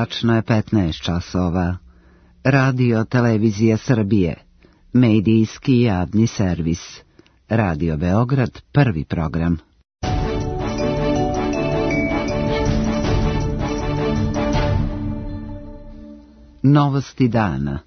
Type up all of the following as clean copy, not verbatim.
Tačno je 15 časova. Radio Televizija Srbije. Medijski javni servis. Radio Beograd, prvi program. Novosti dana.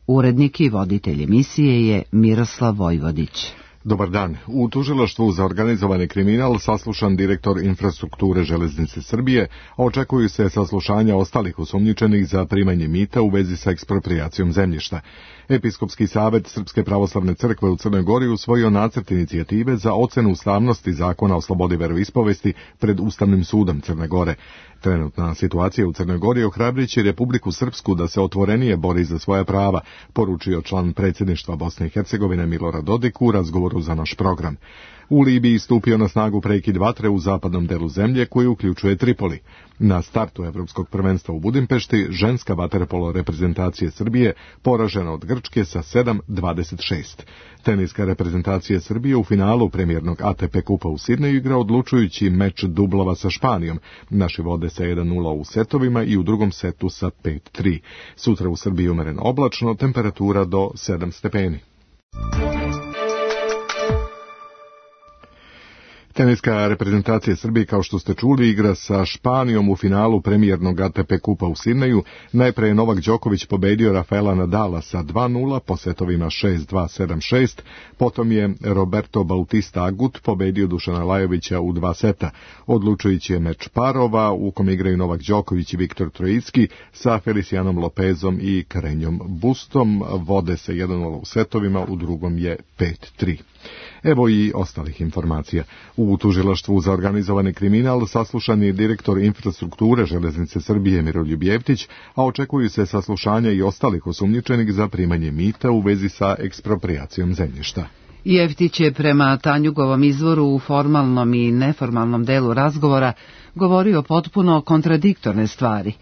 Urednik i voditelj emisije je Miroslav Vojvodić. Dobar dan. U tužilaštvu za organizovani kriminal saslušan direktor infrastrukture Železnice Srbije, a očekuju se saslušanja ostalih osumnjičenih za primanje mita u vezi sa eksproprijacijom zemljišta. Episkopski savet Srpske pravoslavne crkve u Crnoj Gori usvojio nacrt inicijative za ocenu ustavnosti zakona o slobodi veroispovesti pred Ustavnim sudom Crne Gore. Trenutna situacija u Crnoj Gori ohrabriće Republiku Srpsku da se otvorenije bori za svoja prava, poručio član predsjedništva Bosne i Hercegovine Milorad Dodik u razgovoru za naš program. U Libiji stupio na snagu prekid vatre u zapadnom delu zemlje koji uključuje Tripoli. Na startu Evropskog prvenstva u Budimpešti ženska vaterpolo reprezentacije Srbije poražena od Grčke sa 7-26. Teniska reprezentacija Srbije u finalu premijernog ATP kupa u Sidneju igra odlučujući meč dublova sa Španijom. Naši vode sa 1-0 u setovima i u drugom setu sa 5-3. Sutra u Srbiji umjereno oblačno, temperatura do 7 stepeni. Teniska reprezentacija Srbije, kao što ste čuli, igra sa Španijom u finalu premijernog ATP kupa u Sidneju. Najpre je Novak Đoković pobedio Rafaela Nadala sa 2-0 po setovima 6-2, 7-6. Potom je Roberto Bautista Agut pobedio Dušana Lajovića u 2 seta. Odlučujući je meč parova u kom igraju Novak Đoković i Viktor Trojicki sa Felicianom Lopezom i Karenjom Bustom. Vode se 1-0 u setovima, u drugom je 5-3. Evo i ostalih informacija. U tužilaštvu za organizovani kriminal saslušan je direktor infrastrukture Železnice Srbije Miroljub Jeftić, a očekuju se saslušanja i ostalih osumnjičenih za primanje mita u vezi sa eksproprijacijom zemljišta. Jeftić je prema Tanjugovom izvoru u formalnom i neformalnom delu razgovora govorio potpuno kontradiktorne stvari.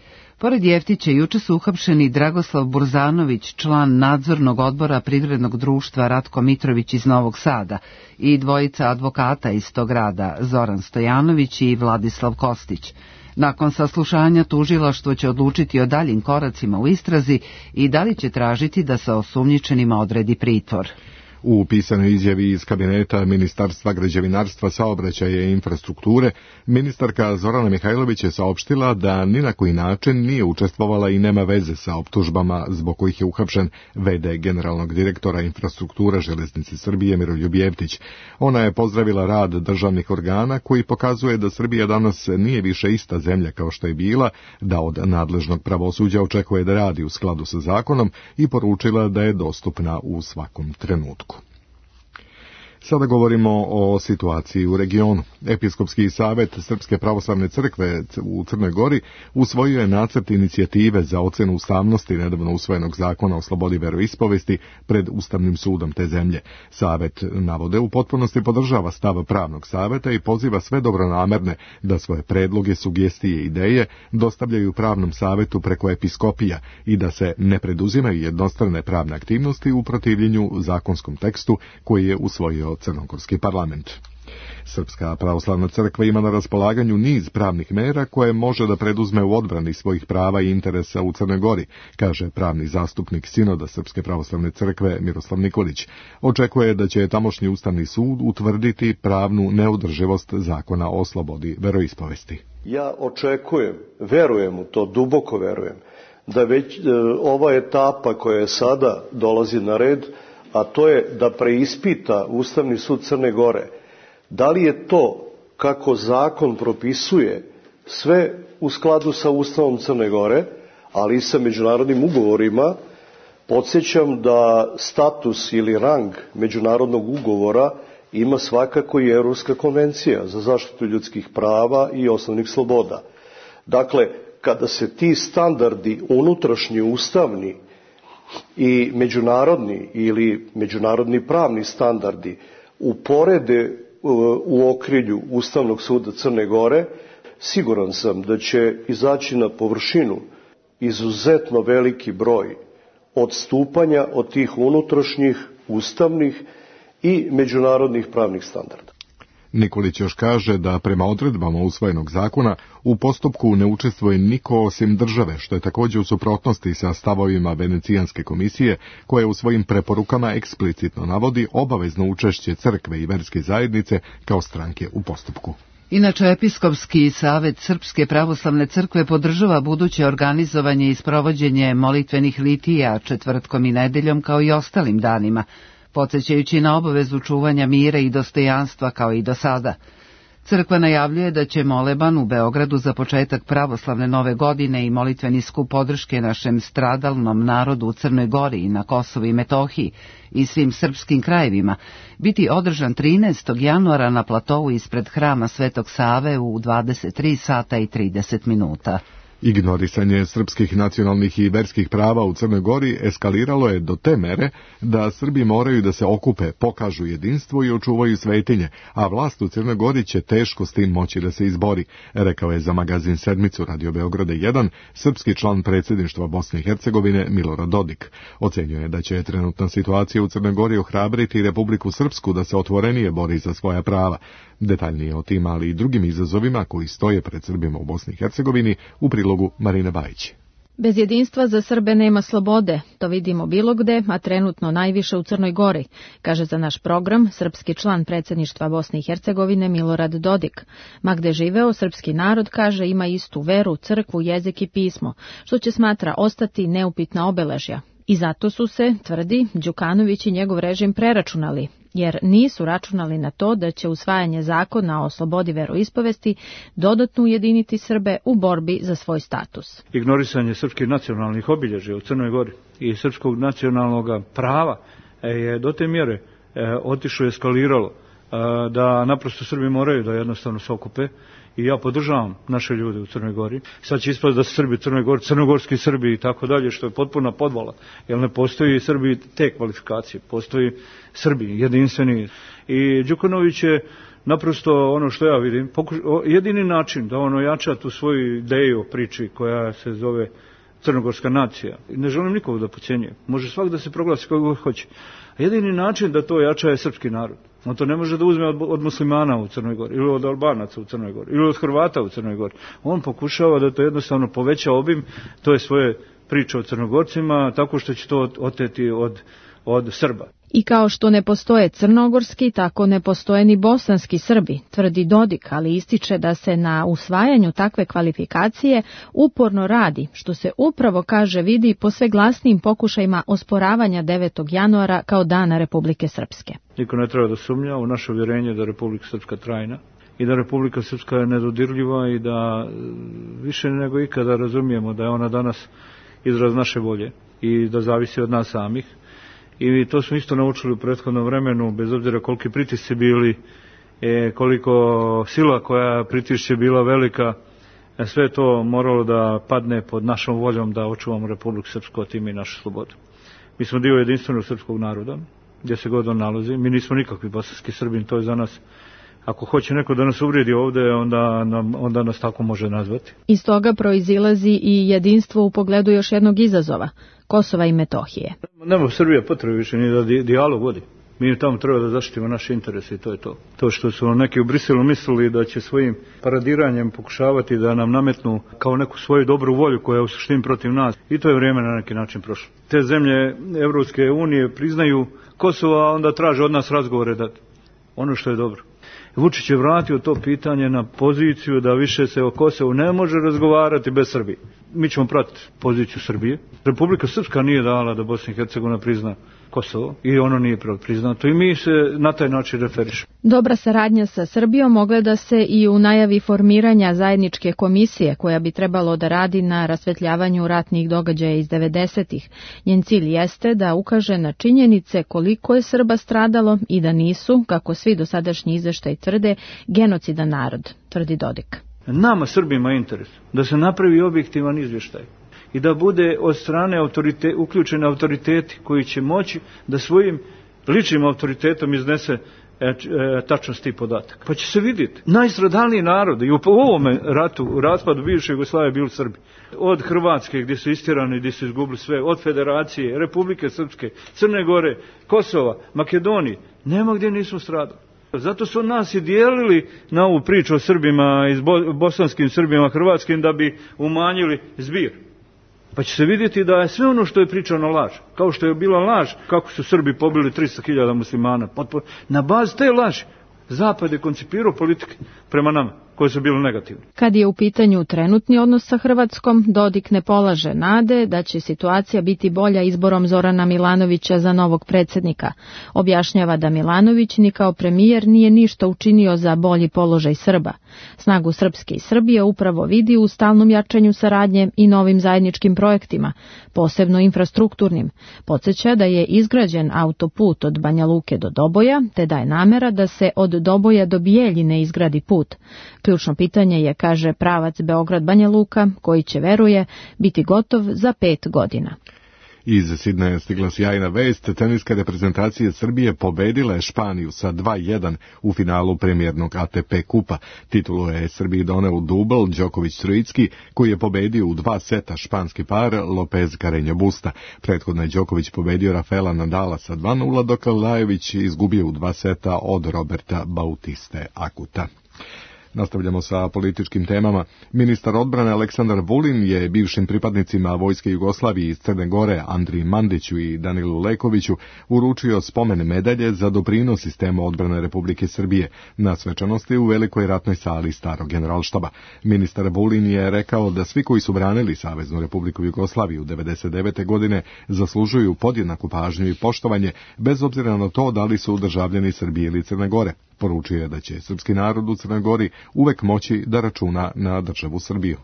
Pored Jeftića juče su uhapšeni Dragoslav Burzanović, član nadzornog odbora privrednog društva Ratko Mitrović iz Novog Sada, i dvojica advokata iz tog grada, Zoran Stojanović i Vladislav Kostić. Nakon saslušanja tužilaštvo će odlučiti o daljim koracima u istrazi i da li će tražiti da se osumnjičenima odredi pritvor. U pisanoj izjavi iz kabineta Ministarstva građevinarstva, saobraćaja i infrastrukture, ministarka Zorana Mihajlović je saopštila da ni na koji način nije učestvovala i nema veze sa optužbama zbog kojih je uhapšen v.d. generalnog direktora infrastrukture Železnice Srbije Miroljub Jeftić. Ona je pozdravila rad državnih organa koji pokazuje da Srbija danas nije više ista zemlja kao što je bila, da od nadležnog pravosuđa očekuje da radi u skladu sa zakonom i poručila da je dostupna u svakom trenutku. Sada govorimo o situaciji u regionu. Episkopski savet Srpske pravoslavne crkve u Crnoj Gori usvojio je nacrt inicijative za ocenu ustavnosti nedavno usvojenog zakona o slobodi veroispovesti pred Ustavnim sudom te zemlje. Savet, navode, u potpunosti podržava stav pravnog saveta i poziva sve dobronamerne da svoje predloge, sugestije i ideje dostavljaju pravnom savetu preko episkopija i da se ne preduzimaju jednostrane pravne aktivnosti u protivljenju zakonskom tekstu koji je usvojio Crnogorski parlament. Srpska pravoslavna crkva ima na raspolaganju niz pravnih mera koje može da preduzme u odbrani svojih prava i interesa u Crnoj Gori, kaže pravni zastupnik Sinoda Srpske pravoslavne crkve Miroslav Nikolić. Očekuje da će tamošnji Ustavni sud utvrditi pravnu neodrživost zakona o slobodi veroispovesti. Ja očekujem, verujem u to, duboko verujem, da već ova etapa koja je sada dolazi na red, a to je da preispita Ustavni sud Crne Gore, da li je to, kako zakon propisuje, sve u skladu sa Ustavom Crne Gore, ali i sa međunarodnim ugovorima. Podsjećam da status ili rang međunarodnog ugovora ima svakako i Europska konvencija za zaštitu ljudskih prava i osnovnih sloboda. Dakle, kada se ti standardi unutrašnji, ustavni i međunarodni ili međunarodni pravni standardi uporede u okrilju Ustavnog suda Crne Gore, siguran sam da će izaći na površinu izuzetno veliki broj odstupanja od tih unutrašnjih, ustavnih i međunarodnih pravnih standarda. Nikolić još kaže da prema odredbama usvojenog zakona u postupku ne učestvuje niko osim države, što je također u suprotnosti sa stavovima Venecijanske komisije, koja u svojim preporukama eksplicitno navodi obavezno učešće crkve i verske zajednice kao stranke u postupku. Inače, Episkopski savet Srpske pravoslavne crkve podržava buduće organizovanje i sprovođenje molitvenih litija četvrtkom i nedeljom kao i ostalim danima, podsjećajući na obavezu čuvanja mira i dostojanstva kao i do sada. Crkva najavljuje da će moleban u Beogradu za početak pravoslavne nove godine i molitveni skup podrške našem stradalnom narodu u Crnoj Gori i na Kosovu i Metohiji i svim srpskim krajevima biti održan 13. januara na platovu ispred hrama Svetog Save u 23 sata i 30 minuta. Ignorisanje srpskih nacionalnih i verskih prava u Crnoj Gori eskaliralo je do te mere da Srbi moraju da se okupe, pokažu jedinstvo i očuvaju svetinje, a vlast u Crnoj Gori će teško s tim moći da se izbori, rekao je za magazin Sedmicu Radio Beograda 1 srpski član predsjedništva Bosne i Hercegovine Milorad Dodik. Ocenjuje da će trenutna situacija u Crnoj Gori ohrabriti Republiku Srpsku da se otvorenije bori za svoja prava. Detaljnije o tim, ali i drugim izazovima koji stoje pred Srbima u Bosni i Hercegovini u prilogu Marine Bajić. Bez jedinstva za Srbe nema slobode, to vidimo bilo gde, a trenutno najviše u Crnoj Gori, kaže za naš program srpski član predsjedništva Bosne i Hercegovine Milorad Dodik. Ma gde živeo, srpski narod, kaže, ima istu veru, crkvu, jezik i pismo, što će, smatra, ostati neupitna obeležja. I zato su se, tvrdi, Đukanović i njegov režim preračunali, jer nisu računali na to da će usvajanje zakona o slobodi veroispovesti dodatno ujediniti Srbe u borbi za svoj status. Ignorisanje srpskih nacionalnih obilježja u Crnoj Gori i srpskog nacionalnog prava je do te mjere otišlo i eskaliralo da naprosto Srbi moraju da jednostavno se okupe. I ja podržavam naše ljude u Crnoj Gori. Sad će ispasti da su Srbi u Crnoj Gori, crnogorski Srbi i tako dalje, što je potpuna podvala. Jer ne postoji Srbi te kvalifikacije, postoji Srbi jedinstveni. I Đukanović je naprosto, ono što ja vidim, jedini način da on ojača tu svoju ideju o priči koja se zove crnogorska nacija. Ne želim nikog da podcjenjuje. Može svak da se proglasi kako hoće. A jedini način da to ojača je srpski narod. On to ne može da uzme od muslimana u Crnoj Gori, ili od Albanaca u Crnoj Gori, ili od Hrvata u Crnoj Gori. On pokušava da to jednostavno poveća obim, to je svoje priče o Crnogorcima, tako što će to oteti od Srba. I kao što ne postoje crnogorski, tako ne postoje ni bosanski Srbi, tvrdi Dodik, ali ističe da se na usvajanju takve kvalifikacije uporno radi, što se upravo, kaže, vidi po sve glasnijim pokušajima osporavanja 9. januara kao dana Republike Srpske. Niko ne treba da sumnja u naše uvjerenje da Republika Srpska trajna i da Republika Srpska je nedodirljiva i da više nego ikada razumijemo da je ona danas izraz naše volje i da zavisi od nas samih. I to smo isto naučili u prethodnom vremenu, bez obzira koliki pritisci bili, koliko sila koja pritišće bila velika, sve to moralo da padne pod našom voljom da očuvamo Republiku Srpsku, a time i našu slobodu. Mi smo dio jedinstvenog srpskog naroda, gdje se god on nalazi. Mi nismo nikakvi bosanski Srbin, to je za nas. Ako hoće neko da nas uvrijedi ovdje, onda nas tako može nazvati. Iz toga proizilazi i jedinstvo u pogledu još jednog izazova, Kosova i Metohije. Nema Srbija potrebe više ni da dijalog vodi. Mi tamo treba da zaštitimo naše interese i to je to. To što su neki u Briselu mislili da će svojim paradiranjem pokušavati da nam nametnu kao neku svoju dobru volju koja je u suštini protiv nas. I to je vrijeme na neki način prošlo. Te zemlje Evropske unije priznaju Kosovo, a onda traže od nas razgovore dati. Ono što je dobro. Vučić je vratio to pitanje na poziciju da više se o Kosovu ne može razgovarati bez Srbije. Mi ćemo pratiti poziciju Srbije. Republika Srpska nije dala da Bosna i Hercegovina prizna Kosovo i ono nije priznato i mi se na taj način referišemo. Dobra saradnja sa Srbijom ogleda se i u najavi formiranja zajedničke komisije koja bi trebalo da radi na rasvetljavanju ratnih događaja iz 90-ih. Njen cilj jeste da ukaže na činjenice koliko je Srba stradalo i da nisu, kako svi dosadašnji izveštaji tvrde, genocidan narod, tvrdi Dodik. Nama Srbima je interes da se napravi objektivan izvještaj i da bude od strane uključeni autoriteti koji će moći da svojim ličnim autoritetom iznese tačnost tih podataka. Pa će se vidjeti. Najstradalniji narod i u ovome ratu, u raspadu bivše Jugoslavije bili Srbi. Od Hrvatske gdje su istirani, gdje su izgubili sve, od Federacije, Republike Srpske, Crne Gore, Kosova, Makedonije. Nema gdje nismo stradali. Zato su nas i dijelili na ovu priču o Srbima, bosanskim Srbima, hrvatskim, da bi umanjili zbir. Pa će se vidjeti da je sve ono što je pričano laž. Kao što je bila laž kako su Srbi pobili 300.000 muslimana. Na bazi te laži Zapad je koncipirao politike prema nama, koje su bile negativne. Kad je u pitanju trenutni odnos sa Hrvatskom, Dodik ne polaže nade da će situacija biti bolja izborom Zorana Milanovića za novog predsjednika. Objašnjava da Milanović ni kao premijer nije ništa učinio za bolji položaj Srba. Snagu Srpske i Srbije upravo vidi u stalnom jačanju saradnje i novim zajedničkim projektima, posebno infrastrukturnim. Podsjeća da je izgrađen autoput od Banja Luke do Doboja, te da je namera da se od Doboja do Bijeljine izgradi put. Ključno pitanje je, kaže, pravac Beograd-Banja Luka, koji će, veruje, biti gotov za 5 godina. Iz Sidneja stigla sjajna vest, teniska reprezentacija Srbije pobedila je Španiju sa 2:1 u finalu premijernog ATP kupa. Titulu je Srbiji doneo dubl Đoković-Trojicki, koji je pobedio u 2 seta španski par Lopez Carreño Busta. Prethodno je Đoković pobedio Rafaela Nadala sa 2:0, dok Lajović izgubio u 2 seta od Roberta Bautiste Akuta. Nastavljamo sa političkim temama. Ministar odbrane Aleksandar Vulin je bivšim pripadnicima Vojske Jugoslavije iz Crne Gore Andriji Mandiću i Danilu Lekoviću uručio spomen medalje za doprinos sistemu odbrane Republike Srbije na svečanosti u Velikoj ratnoj sali Starog generalštaba. Ministar Vulin je rekao da svi koji su branili Saveznu Republiku Jugoslaviju 1999. godine zaslužuju podjednaku pažnju i poštovanje bez obzira na to da li su državljani Srbije ili Crne Gore. Poručio je da će srpski narod u Crnoj Gori uvek moći da računa na državu Srbiju.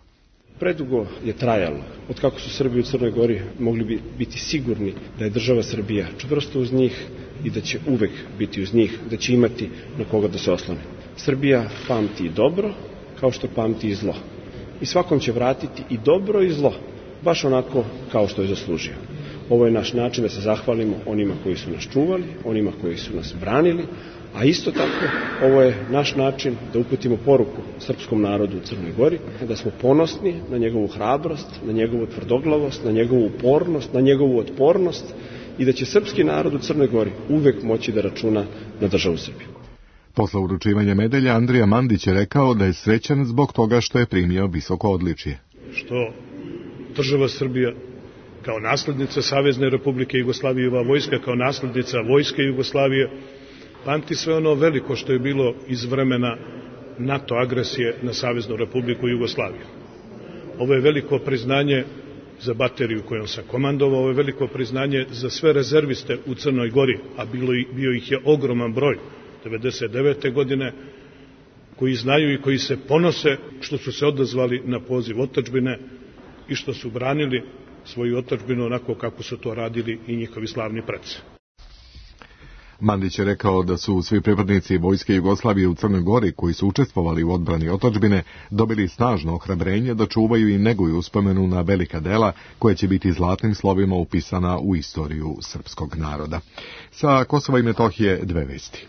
Predugo je trajalo od kako su Srbi u Crnoj Gori mogli biti sigurni da je država Srbija čvrsto uz njih i da će uvek biti uz njih, da će imati na koga da se oslone. Srbija pamti i dobro kao što pamti i zlo. I svakom će vratiti i dobro i zlo, baš onako kao što je zaslužio. Ovo je naš način da se zahvalimo onima koji su nas čuvali, onima koji su nas branili, a isto tako ovo je naš način da uputimo poruku srpskom narodu u Crnoj Gori, da smo ponosni na njegovu hrabrost, na njegovu tvrdoglavost, na njegovu upornost, na njegovu otpornost i da će srpski narod u Crnoj Gori uvek moći da računa na državu Srbiju. Posle uručivanja medalja Andrija Mandić je rekao da je srećan zbog toga što je primio visoko odličje. Što država Srbija kao naslednica Savezne Republike Jugoslavije, ova vojska kao naslednica Vojske Jugoslavije, pamti sve ono veliko što je bilo iz vremena NATO agresije na Saveznu Republiku Jugoslaviju. Ovo je veliko priznanje za bateriju kojom sam komandovao, ovo je veliko priznanje za sve rezerviste u Crnoj Gori, a bio ih je ogroman broj 1999. godine, koji znaju i koji se ponose što su se odazvali na poziv otadžbine i što su branili svoju otadžbinu onako kako su to radili i njihovi slavni preci. Mandić je rekao da su svi pripadnici Vojske Jugoslavije u Crnoj Gori koji su učestvovali u odbrani otadžbine dobili snažno ohrabrenje da čuvaju i neguju uspomenu na velika dela koja će biti zlatnim slovima upisana u istoriju srpskog naroda. Sa Kosova i Metohije 2 vesti.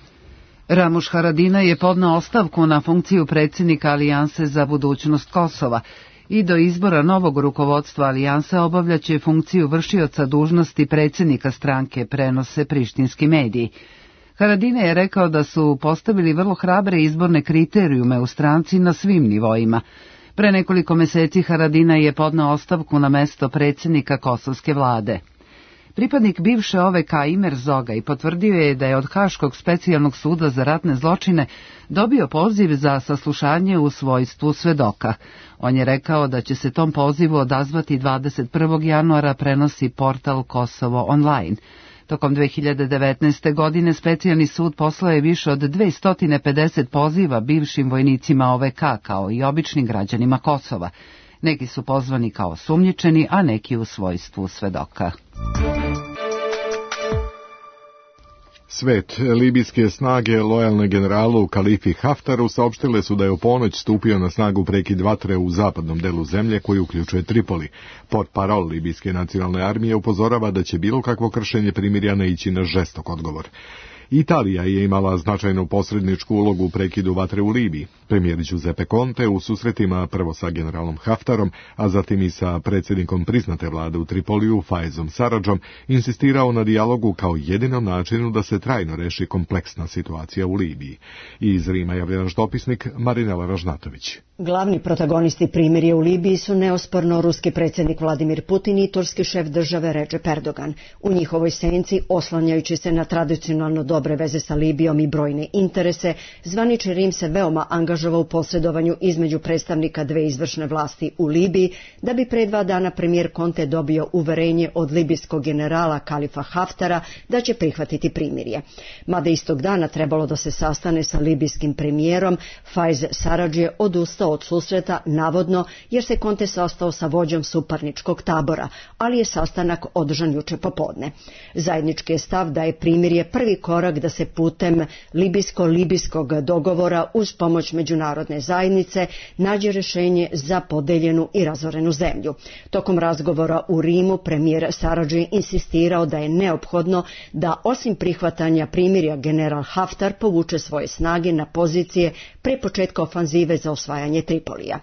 Ramuš Haradinaj je podneo ostavku na funkciju predsjednika Alijanse za budućnost Kosova i do izbora novog rukovodstva Alijanse obavljaće funkciju vršioca dužnosti predsjednika stranke, prenose prištinski mediji. Haradinaj je rekao da su postavili vrlo hrabre izborne kriterijume u stranci na svim nivoima. Pre nekoliko meseci Haradinaj je podneo ostavku na mesto predsjednika kosovske vlade. Pripadnik bivše OVK Imer Zogaj potvrdio je da je od Haškog specijalnog suda za ratne zločine dobio poziv za saslušanje u svojstvu svedoka. On je rekao da će se tom pozivu odazvati 21. januara, prenosi portal Kosovo online. Tokom 2019. godine specijalni sud poslao je više od 250 poziva bivšim vojnicima OVK kao i običnim građanima Kosova. Neki su pozvani kao osumnjičeni, a neki u svojstvu svedoka. Svet, libijske snage lojalne generalu Kalifi Haftaru saopštile su da je u ponoć stupio na snagu prekid vatre u zapadnom delu zemlje koji uključuje Tripoli. Portparol libijske nacionalne armije upozorava da će bilo kakvo kršenje primirja naići na žestok odgovor. Italija je imala značajnu posredničku ulogu u prekidu vatre u Libiji. Premijer Giuseppe Conte u susretima prvo sa generalom Haftarom, a zatim i sa predsjednikom priznate vlade u Tripoliju, Faizom Saradžom, insistirao na dijalogu kao jedinom načinu da se trajno reši kompleksna situacija u Libiji. I iz Rima javlja naš dopisnik Marinela Ražnatović. Glavni protagonisti primirja u Libiji su neosporno ruski predsjednik Vladimir Putin i turski šef države Recep Erdogan. U njihovoj senci, oslanjajući se na tradicionalno dobre veze sa Libijom i brojne interese, zvanični Rim se veoma angažovao u posredovanju između predstavnika dve izvršne vlasti u Libiji, da bi pre 2 dana premijer Conte dobio uverenje od libijskog generala Kalifa Haftara da će prihvatiti primirje. Mada istog dana trebalo da se sastane sa libijskim premijerom, Faiz Saradž je odustao od susreta, navodno jer se Conte sastao sa vođom suparničkog tabora, ali je sastanak održan juče popodne. Zajednički je stav da je primirje prvi korak da se putem libijsko-libijskog dogovora uz pomoć međunarodne zajednice nađe rješenje za podeljenu i razorenu zemlju. Tokom razgovora u Rimu premijer Saradž je insistirao da je neophodno da osim prihvatanja primirja general Haftar povuče svoje snage na pozicije pre početka ofanzive za osvajanje Tripolija.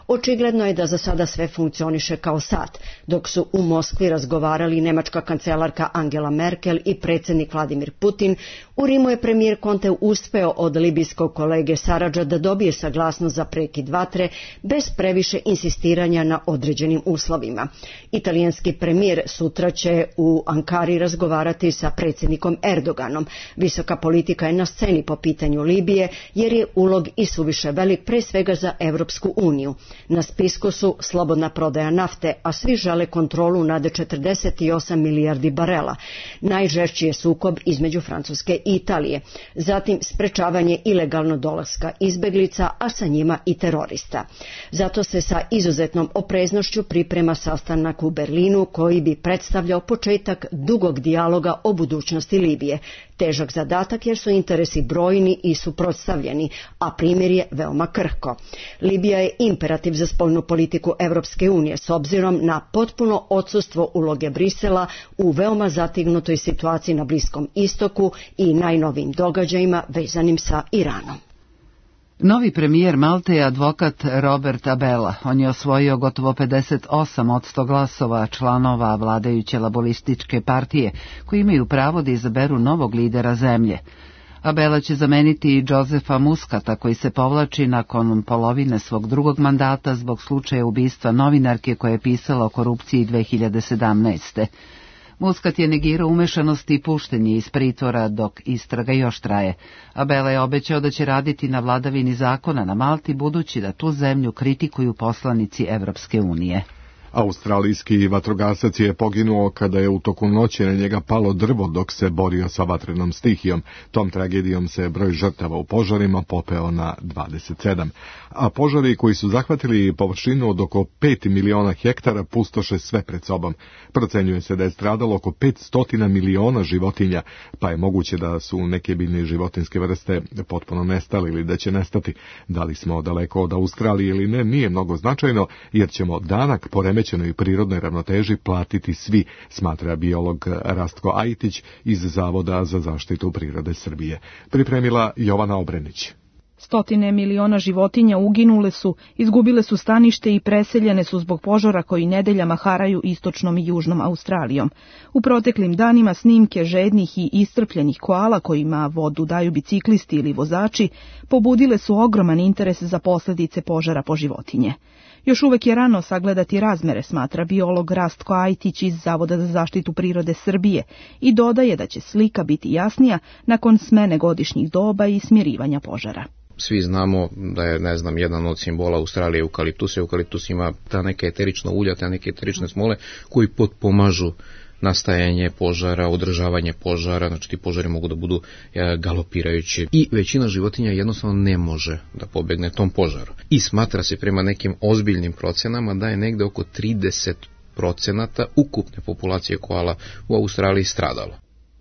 Očigledno je da za sada sve funkcioniše kao sat, dok su u Moskvi razgovarali nemačka kancelarka Angela Merkel i predsjednik Vladimir Putin. U Rimu je premijer Conte uspeo od libijskog kolege Saradža da dobije saglasnost za prekid vatre bez previše insistiranja na određenim uslovima. Italijanski premijer sutra će u Ankari razgovarati sa predsjednikom Erdoganom. Visoka politika je na sceni po pitanju Libije jer je ulog i suviše velik pre svega za Evropsku uniju. Na spisku su slobodna prodaja nafte, a svi žele kontrolu nad 48 milijardi barela. Najžešći je sukob između Francuske i Italije. Zatim sprečavanje ilegalno dolaska izbeglica, a sa njima i terorista. Zato se sa izuzetnom opreznošću priprema sastanak u Berlinu koji bi predstavljao početak dugog dijaloga o budućnosti Libije. Težak zadatak jer su interesi brojni i suprotstavljeni, a primirje veoma krhko. Libija je imperativ za spoljnu politiku Evropske unije s obzirom na potpuno odsustvo uloge Brisela u veoma zatignutoj situaciji na Bliskom istoku i najnovijim događajima vezanim sa Iranom. Novi premijer Malte je advokat Robert Abela. On je osvojio gotovo 58% glasova članova vladajuće laborističke partije, koji imaju pravo da izaberu novog lidera zemlje. Abela će zameniti Josefa Muscata, koji se povlači nakon polovine svog drugog mandata zbog slučaja ubistva novinarke koja je pisala o korupciji 2017. Muscat je negirao umešanost i puštenje iz pritvora dok istraga još traje. Abela je obećao da će raditi na vladavini zakona na Malti, budući da tu zemlju kritikuju poslanici Evropske unije. Australijski vatrogasac je poginuo kada je u toku noći na njega palo drvo dok se borio sa vatrenom stihijom. Tom tragedijom se broj žrtava u požarima popeo na 27. A požari koji su zahvatili površinu od oko 5 miliona hektara pustoše sve pred sobom. Procenjuje se da je stradalo oko 500 miliona životinja, pa je moguće da su neke biljne životinske vrste potpuno nestale ili da će nestati. Da li smo daleko od Australije ili ne, nije mnogo značajno, jer ćemo danak poremećenoj prirodnoj ravnoteži platiti svi, smatra biolog Rastko Ajtić iz Zavoda za zaštitu prirode Srbije. Pripremila Jovana Obrenić. 100 miliona životinja uginule su, izgubile su stanište i preseljene su zbog požara koji nedeljama haraju istočnom i južnom Australijom. U proteklim danima snimke žednih i iscrpljenih koala kojima vodu daju biciklisti ili vozači pobudile su ogroman interes za posljedice požara po životinje. Još uvek je rano sagledati razmere, smatra biolog Rastko Ajtić iz Zavoda za zaštitu prirode Srbije i dodaje da će slika biti jasnija nakon smene godišnjih doba i smirivanja požara. Svi znamo da je, jedan od simbola Australije eukaliptus. Eukaliptus ima ta neka eterična ulja, ta neke eterične smole koji potpomažu nastajanje požara, održavanje požara, znači ti požari mogu da budu galopirajući i većina životinja jednostavno ne može da pobegne tom požaru. I smatra se prema nekim ozbiljnim procenama da je negde oko 30% ukupne populacije koala u Australiji stradalo.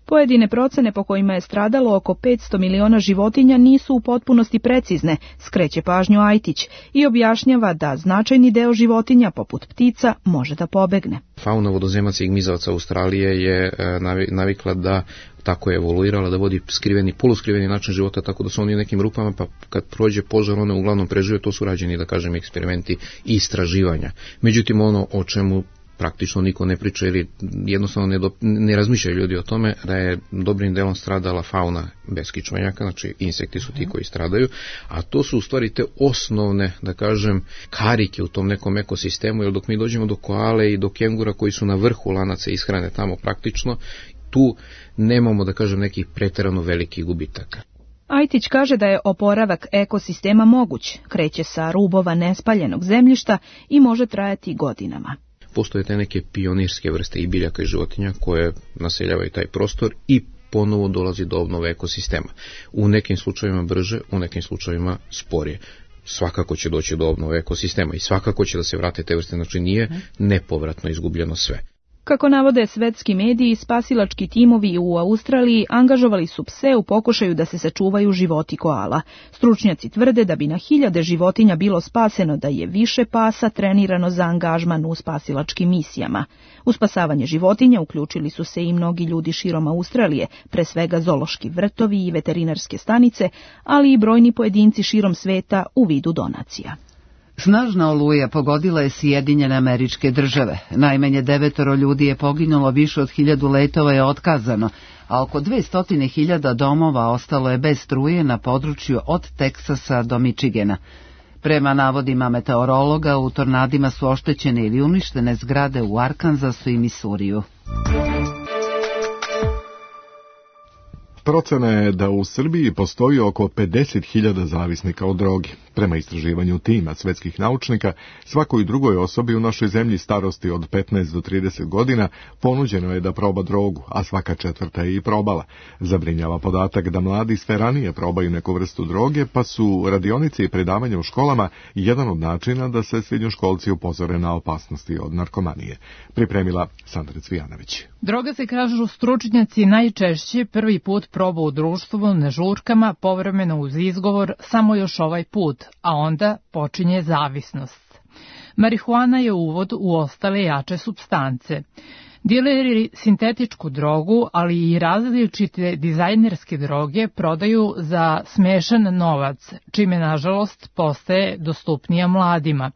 Pojedine procene po kojima je stradalo oko 500 miliona životinja nisu u potpunosti precizne, skreće pažnju Ajtić i objašnjava da značajni deo životinja, poput ptica, može da pobegne. Fauna vodozemaca i gmizavaca Australije je navikla da tako je evoluirala da vodi skriveni, poluskriveni način života, tako da su oni u nekim rupama, pa kad prođe požar, one uglavnom prežive. To su rađeni, da kažem, eksperimenti i istraživanja. Međutim, ono o čemu praktično niko ne priča ili jednostavno ne razmišljaju ljudi o tome, da je dobrim delom stradala fauna beskičmenjaka, znači insekti su ti koji stradaju, a to su u stvari te osnovne, da kažem, karike u tom nekom ekosistemu, jer dok mi dođemo do koale i do kengura koji su na vrhu lanaca ishrane tamo praktično, tu nemamo, da kažem, nekih preterano velikih gubitaka. Ajtić kaže da je oporavak ekosistema moguć, kreće sa rubova nespaljenog zemljišta i može trajati godinama. Postoje te neke pionirske vrste i biljaka i životinja koje naseljavaju taj prostor i ponovo dolazi do obnove ekosistema. U nekim slučajevima brže, u nekim slučajevima sporije. Svakako će doći do obnove ekosistema i svakako će da se vrate te vrste, znači nije nepovratno izgubljeno sve. Kako navode svetski mediji, spasilački timovi u Australiji angažovali su pse u pokušaju da se sačuvaju životi koala. Stručnjaci tvrde da bi na 1000 životinja bilo spaseno da je više pasa trenirano za angažman u spasilačkim misijama. U spasavanje životinja uključili su se i mnogi ljudi širom Australije, pre svega zoološki vrtovi i veterinarske stanice, ali i brojni pojedinci širom sveta u vidu donacija. Snažna oluja pogodila je Sjedinjene Američke Države. Najmanje 9 ljudi je poginulo, više od 1000 letova je otkazano, a oko 200.000 domova ostalo je bez struje na području od Teksasa do Michigana. Prema navodima meteorologa, u tornadima su oštećene ili uništene zgrade u Arkansasu i Misuriju. Procena je da u Srbiji postoji oko 50.000 zavisnika od droge. Prema istraživanju tima svetskih naučnika, svakoj drugoj osobi u našoj zemlji starosti od 15 do 30 godina ponuđeno je da proba drogu, a svaka 4. je i probala. Zabrinjava podatak da mladi sve ranije probaju neku vrstu droge, pa su radionice i predavanja u školama jedan od načina da se srednjoškolci upozore na opasnosti od narkomanije. Pripremila Sandra Cvijanović. Droga se, kažu stručnjaci, najčešće prvi put proba u društvu, na žurkama, povremeno uz izgovor samo još ovaj put, a onda počinje zavisnost. Marihuana je uvod u ostale jače supstance. Dileri sintetičku drogu, ali i različite dizajnerske droge prodaju za smešan novac, čime nažalost postaje dostupnija mladima,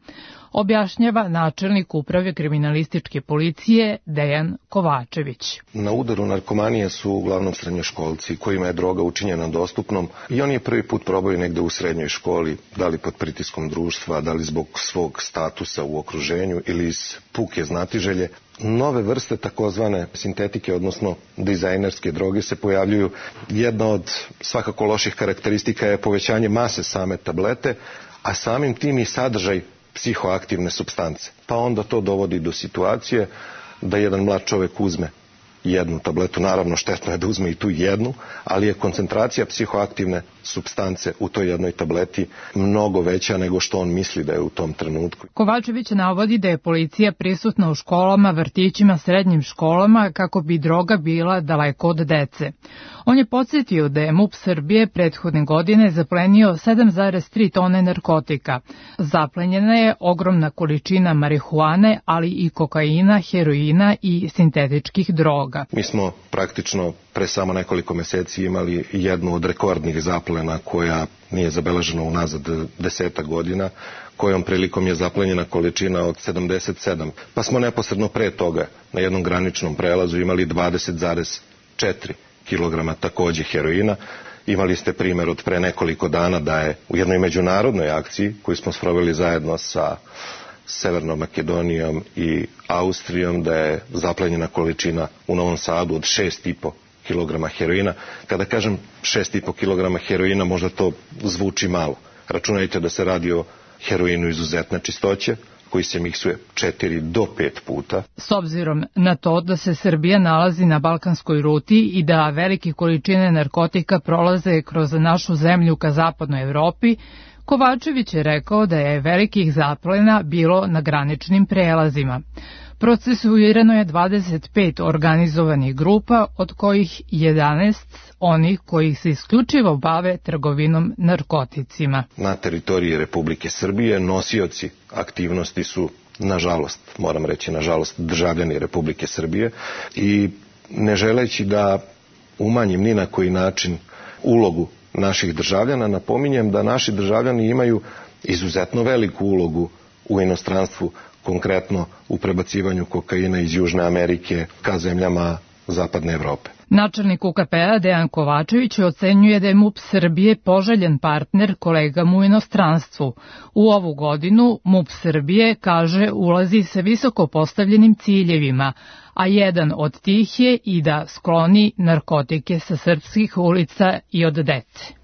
objašnjava načelnik uprave kriminalističke policije Dejan Kovačević. Na udaru narkomanije su uglavnom srednjoškolci kojima je droga učinjena dostupnom i oni je prvi put probaju negde u srednjoj školi, da li pod pritiskom društva, da li zbog svog statusa u okruženju ili iz puke znatiželje. Nove vrste takozvane sintetike, odnosno dizajnerske droge se pojavljuju. Jedna od svakako loših karakteristika je povećanje mase same tablete, a samim tim i sadržaj psihoaktivne supstance. Pa onda to dovodi do situacije da jedan mlad čovjek uzme jednu tabletu, naravno štetno je da uzme i tu jednu, ali je koncentracija psihoaktivne supstance u toj jednoj tableti mnogo veća nego što on misli da je u tom trenutku. Kovačević navodi da je policija prisutna u školama, vrtićima, srednjim školama kako bi droga bila daleko od dece. On je podsjetio da je MUP Srbije prethodne godine zaplenio 7,3 tone narkotika. Zaplenjena je ogromna količina marihuane, ali i kokaina, heroina i sintetičkih droga. Mi smo praktično pre samo nekoliko meseci imali jednu od rekordnih zaplena koja nije zabeležena unazad 10 godina, kojom prilikom je zaplenjena količina od 77. Pa smo neposredno pre toga na jednom graničnom prelazu imali 20,4 kilograma takođe heroina. Imali ste primjer od pre nekoliko dana da je u jednoj međunarodnoj akciji koju smo sproveli zajedno sa Severnom Makedonijom i Austrijom, da je zaplenjena količina u Novom Sadu od 6,5 kilograma heroina. Kada kažem 6,5 kilograma heroina, možda to zvuči malo. Računajte da se radi o heroinu izuzetne čistoće, koji se miksuje 4 do 5 puta. S obzirom na to da se Srbija nalazi na balkanskoj ruti i da velike količine narkotika prolaze kroz našu zemlju ka zapadnoj Evropi, Kovačević je rekao da je velikih zaplena bilo na graničnim prelazima. Procesuirano je 25 organizovanih grupa, od kojih 11 onih koji se isključivo bave trgovinom narkoticima. Na teritoriji Republike Srbije nosioci aktivnosti su, nažalost, moram reći nažalost, državljani Republike Srbije i ne želeći da umanjim ni na koji način ulogu naših državljana. Napominjem da naši državljani imaju izuzetno veliku ulogu u inostranstvu, konkretno u prebacivanju kokaina iz Južne Amerike ka zemljama Zapadne Evrope. Načelnik UKP-a Dejan Kovačević ocenjuje da je MUP Srbije poželjen partner kolegama u inostranstvu. U ovu godinu MUP Srbije, kaže, ulazi sa visoko postavljenim ciljevima, a jedan od tih je i da skloni narkotike sa srpskih ulica i od dece.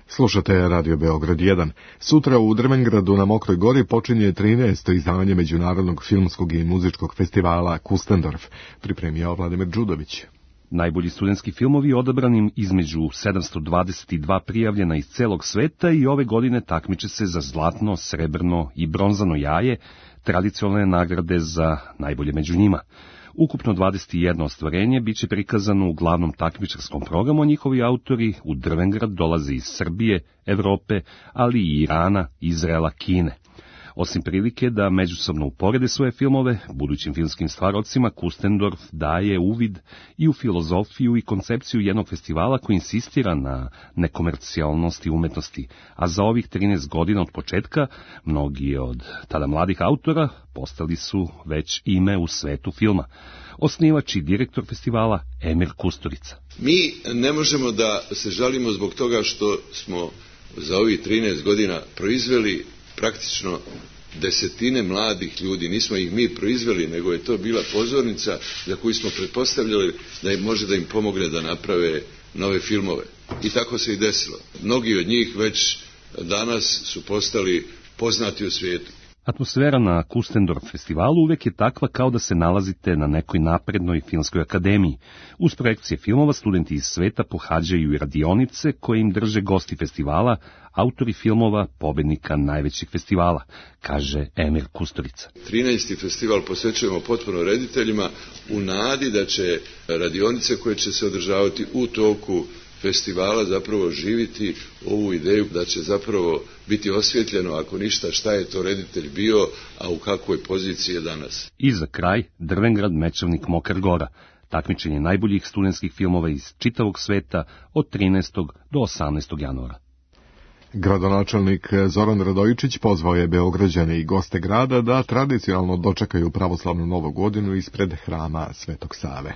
Slušate Radio Beograd 1. Sutra u Drvengradu na Mokroj gori počinje 13. izdanje Međunarodnog filmskog i muzičkog festivala Kustendorf, pripremio Vladimir Đudović. Najbolji studentski filmovi odabranim između 722 prijavljena iz celog sveta i ove godine takmiče se za zlatno, srebrno i bronzano jaje, tradicionalne nagrade za najbolje među njima. Ukupno 21 ostvarenje biće prikazano u glavnom takmičarskom programu, a njihovi autori u Drvengrad dolaze iz Srbije, Evrope, ali i Irana, Izraela, Kine. Osim prilike da međusobno uporede svoje filmove, budućim filmskim stvarocima Kustendorf daje uvid i u filozofiju i koncepciju jednog festivala koji insistira na nekomercijalnosti umetnosti, a za ovih 13 godina od početka, mnogi od tada mladih autora postali su već ime u svetu filma. Osnivač i direktor festivala Emir Kusturica. Mi ne možemo da se žalimo zbog toga što smo za ovih 13 godina proizveli praktično desetine mladih ljudi. Nismo ih mi proizveli, nego je to bila pozornica za koju smo pretpostavljali da im može da im pomogne da naprave nove filmove. I tako se i desilo. Mnogi od njih već danas su postali poznati u svijetu. Atmosfera na Kustendorf festivalu uvek je takva kao da se nalazite na nekoj naprednoj filmskoj akademiji. Uz projekcije filmova studenti iz sveta pohađaju i radionice koje im drže gosti festivala, autori filmova pobednika najvećih festivala, kaže Emir Kusturica. 13. festival posvećujemo potpuno rediteljima u nadi da će radionice koje će se održavati u toku festivala zapravo živiti ovu ideju da će zapravo biti osvjetljeno, ako ništa, šta je to reditelj bio, a u kakvoj poziciji je danas. I za kraj, Drvengrad, Mečevnik, Mokra Gora. Takmičenje najboljih studentskih filmova iz čitavog sveta od 13. do 18. januara. Gradonačelnik Zoran Radojičić pozvao je Beograđane i goste grada da tradicionalno dočekaju pravoslavnu Novu godinu ispred hrama Svetog Save.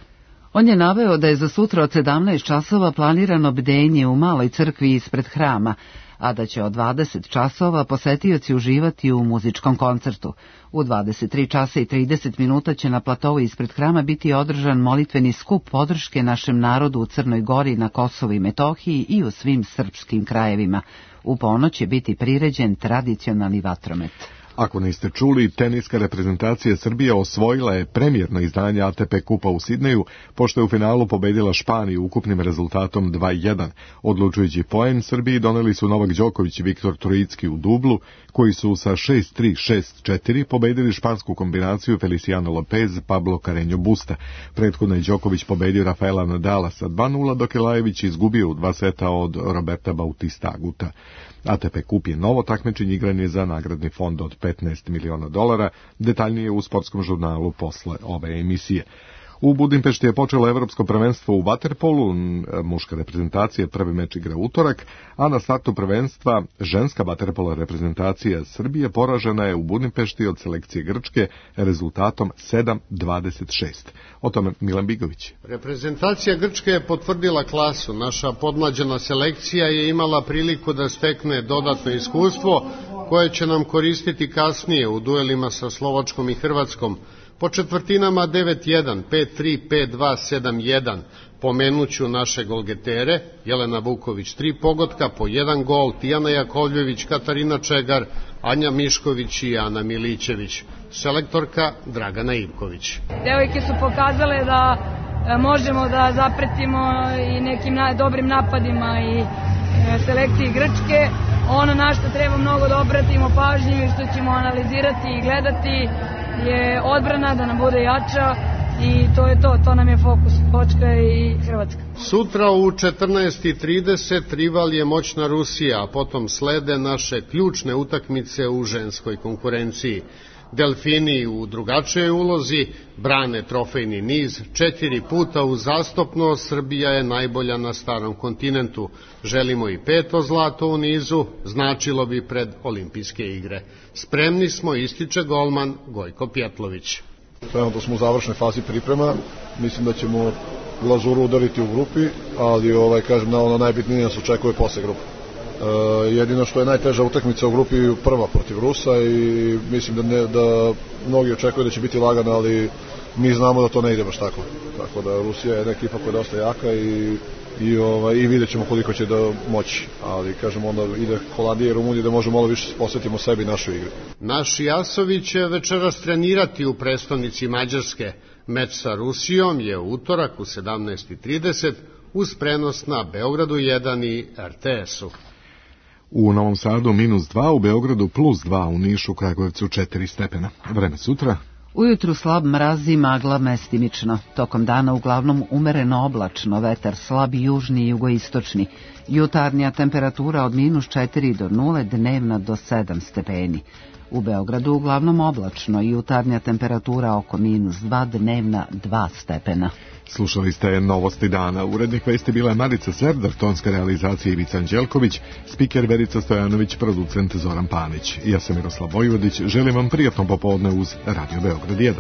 On je naveo da je za sutra od 17 časova planirano bdenje u maloj crkvi ispred hrama, a da će od 20 časova posetioci uživati u muzičkom koncertu. U 23 časa i 30 minuta će na platovu ispred hrama biti održan molitveni skup podrške našem narodu u Crnoj Gori, na Kosovu i Metohiji i u svim srpskim krajevima. U ponoć će biti priređen tradicionalni vatromet. Ako niste čuli, teniska reprezentacija Srbije osvojila je premijerno izdanje ATP kupa u Sidneju, pošto je u finalu pobedila Španiju ukupnim rezultatom 2:1. Odlučujući poen Srbiji doneli su Novak Đoković i Viktor Trojicki u dublu, koji su sa 6-3, 6-4 pobedili špansku kombinaciju Feliciano Lopez, Pablo Carreño Busta. Prethodno je Đoković pobedio Rafaela Nadala sa 2:0, dok je Lajević izgubio u 2 seta od Roberta Bautista Aguta. ATP kup je novo takmičenje, igranje za nagradni fond od $15 miliona, detaljnije u sportskom žurnalu posle ove emisije. U Budimpešti je počelo evropsko prvenstvo u vaterpolu, muška reprezentacija prvi meč igra utorak, a na startu prvenstva ženska vaterpola reprezentacija Srbije poražena je u Budimpešti od selekcije Grčke rezultatom 7:26. O tome Milan Bigović. Reprezentacija Grčke je potvrdila klasu. Naša podmlađena selekcija je imala priliku da stekne dodatno iskustvo koje će nam koristiti kasnije u duelima sa Slovačkom i Hrvatskom. Po četvrtinama 9:1, 5:3, 5:2, 7:1 pomenuću naše golgetere, Jelena Vuković 3 pogotka, po 1 gol, Tijana Jakovljević, Katarina Čegar, Anja Mišković i Ana Milićević. Selektorka Dragana Ivković. Devojke su pokazale da možemo da zapretimo i nekim dobrim napadima i selekciji Grčke. Ono na što treba mnogo da obratimo pažnju i što ćemo analizirati i gledati je odbrana, da nam bude jača, i to je to nam je fokus, Počka i Hrvatska. Sutra u 14:30 rival je moćna Rusija, a potom slede naše ključne utakmice u ženskoj konkurenciji. Delfini u drugačijoj ulozi brane trofejni niz. 4 puta uzastopno Srbija je najbolja na starom kontinentu. Želimo i 5. zlato u nizu, značilo bi pred olimpijske igre. Spremni smo, ističe golman Gojko Pjetlović. Trenutno smo u završnoj fazi priprema, mislim da ćemo glazuru udariti u grupi, ali kažem, na ono najbitnije nas očekuje posle grupe. Jedino što je najteža utakmica u grupi prva protiv Rusa i mislim da mnogi očekuju da će biti lagana, ali mi znamo da to ne ide baš tako. Tako da Rusija je jedna ekipa koja je dosta jaka i vidjet ćemo koliko će da moći. Ali kažem, onda ide Holandija i Rumunija da možemo malo više posvetimo sebi i našoj igri. Naši asovi će večeras trenirati u prestonici Mađarske. Meč sa Rusijom je u utorak u 17:30 uz prenos na Beogradu 1 i RTS-u. U Novom Sadu -2, u Beogradu +2, u Nišu, Kragujevcu 4 stepena. Vreme sutra. Ujutru slab mraz i magla mestimično. Tokom dana uglavnom umereno oblačno, vetar slab južni i jugoistočni. Jutarnja temperatura od -4 do 0, dnevna do 7 stepeni. U Beogradu uglavnom oblačno i jutarnja temperatura oko -2, dnevna 2 stepena. Slušali ste Novosti dana. Urednik vesti bila je Marica Serdar, tonska realizacija Ivica Anđelković, spiker Verica Stojanović, producent Zoran Panić. Ja sam Miroslav Vojvodić, želim vam prijatno popodne uz Radio Beograd 1.